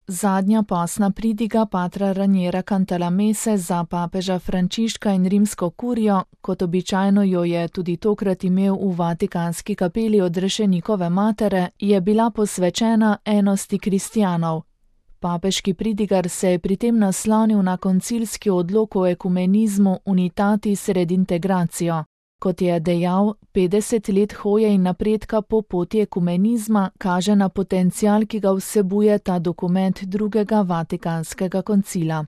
Zadnja postna pridiga patra Raniera Cantalamesse za papeža Frančiška in rimsko kurijo, kot običajno jo je tudi tokrat imel v Vatikanski kapeli odrešenikove matere, je bila posvečena enosti kristjanov. Papeški pridigar se je pri tem naslonil na koncilski odlok o ekumenizmu Unitatis Redintegratio. Kot je dejal, 50 let hoje in napredka po poti ekumenizma kaže na potencial, ki ga vsebuje ta dokument drugega Vatikanskega koncila.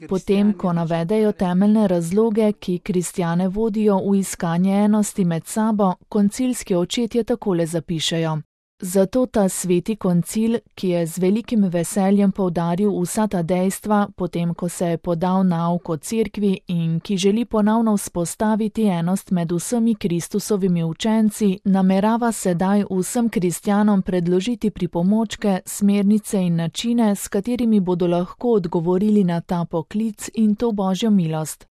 Potem, ko navedejo temeljne razloge, ki kristjane vodijo v iskanje enosti med sabo, koncilski očetje takole zapišejo. Zato ta sveti koncil, ki je z velikim veseljem poudaril vsa ta dejstva, potem ko se je podal nauk o cerkvi in ki želi ponovno vzpostaviti enost med vsemi Kristusovimi učenci, namerava sedaj vsem kristjanom predložiti pripomočke, smernice in načine, s katerimi bodo lahko odgovorili na ta poklic in to Božjo milost.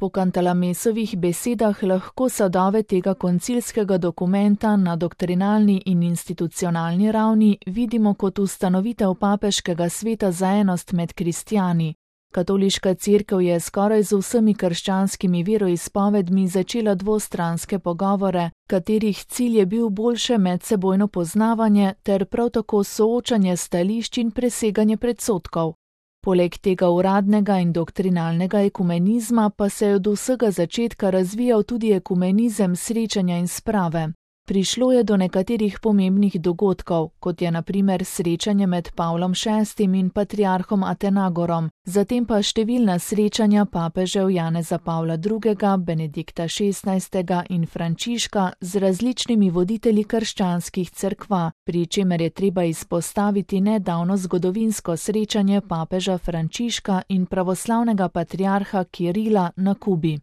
Po Cantalamessovih besedah lahko sadove tega koncilskega dokumenta na doktrinalni in institucionalni ravni vidimo kot ustanovitev papeškega sveta za enost med kristjani. Katoliška cerkev je skoraj z vsemi krščanskimi veroizpovedmi začela dvostranske pogovore, katerih cilj je bil boljše medsebojno poznavanje ter prav tako soočanje stališč in preseganje predsodkov. Poleg tega uradnega in doktrinalnega ekumenizma pa se je od vsega začetka razvijal tudi ekumenizem srečanja in sprave. Prišlo je do nekaterih pomembnih dogodkov, kot je na primer srečanje med Pavlom VI in patriarhom Atenagorom, zatem pa številna srečanja papežev Janeza Pavla II., Benedikta XVI. In Frančiška z različnimi voditelji krščanskih cerkva, pri čemer je treba izpostaviti nedavno zgodovinsko srečanje papeža Frančiška in pravoslavnega patriarha Kirila na Kubi.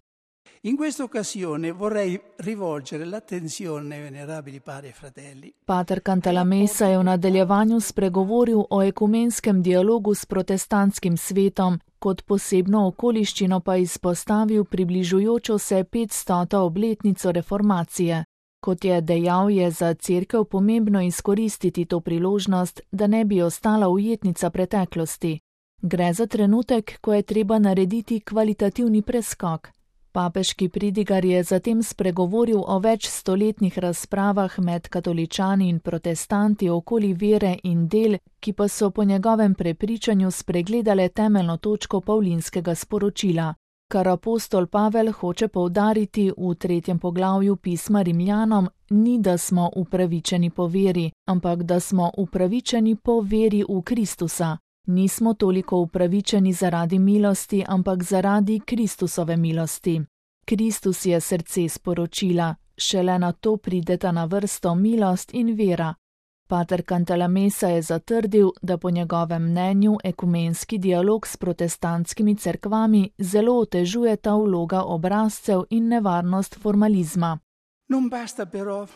In questa occasione vorrei rivolgere l'attenzione, venerabili padri e fratelli. Pater Cantalamessa je v nadaljevanju spregovoril o ekumenskem dialogu s protestantskim svetom, kot posebno okoliščino pa izpostavil približujočo se 500. obletnico reformacije. Kot je dejal, je za cerkev pomembno izkoristiti to priložnost, da ne bi ostala ujetnica preteklosti. Gre za trenutek, ko je treba narediti kvalitativni preskok. Papeški pridigar je zatem spregovoril o večstoletnih razpravah med katoličani in protestanti okoli vere in del, ki pa so po njegovem prepričanju spregledale temeljno točko pavlinskega sporočila. Kar apostol Pavel hoče poudariti v 3. poglavju pisma Rimljanom, ni, da smo upravičeni po veri, ampak da smo upravičeni po veri v Kristusa. Nismo toliko upravičeni zaradi milosti, ampak zaradi Kristusove milosti. Kristus je srce sporočila, šele na to prideta na vrsto milost in vera. Pater Cantalamessa je zatrdil, da po njegovem mnenju ekumenski dialog s protestantskimi cerkvami zelo otežuje ta vloga obrazcev in nevarnost formalizma. Non basta però,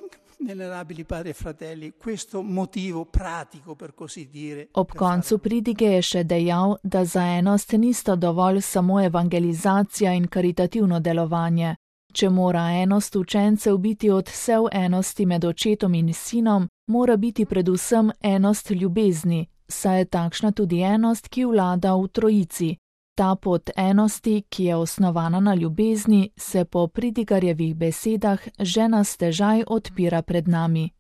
venerabili padri e fratelli, questo motivo pratico, per così dire. Ob koncu pridige je še dejal, da za enost nista dovolj samo evangelizacija in karitativno delovanje. Če mora enost učencev biti odsev enosti med očetom in sinom, mora biti predvsem enost ljubezni, saj je takšna tudi enost, ki vlada v trojici. Ta pot enosti, ki je osnovana na ljubezni, se po pridigarjevih besedah že na stežaj odpira pred nami.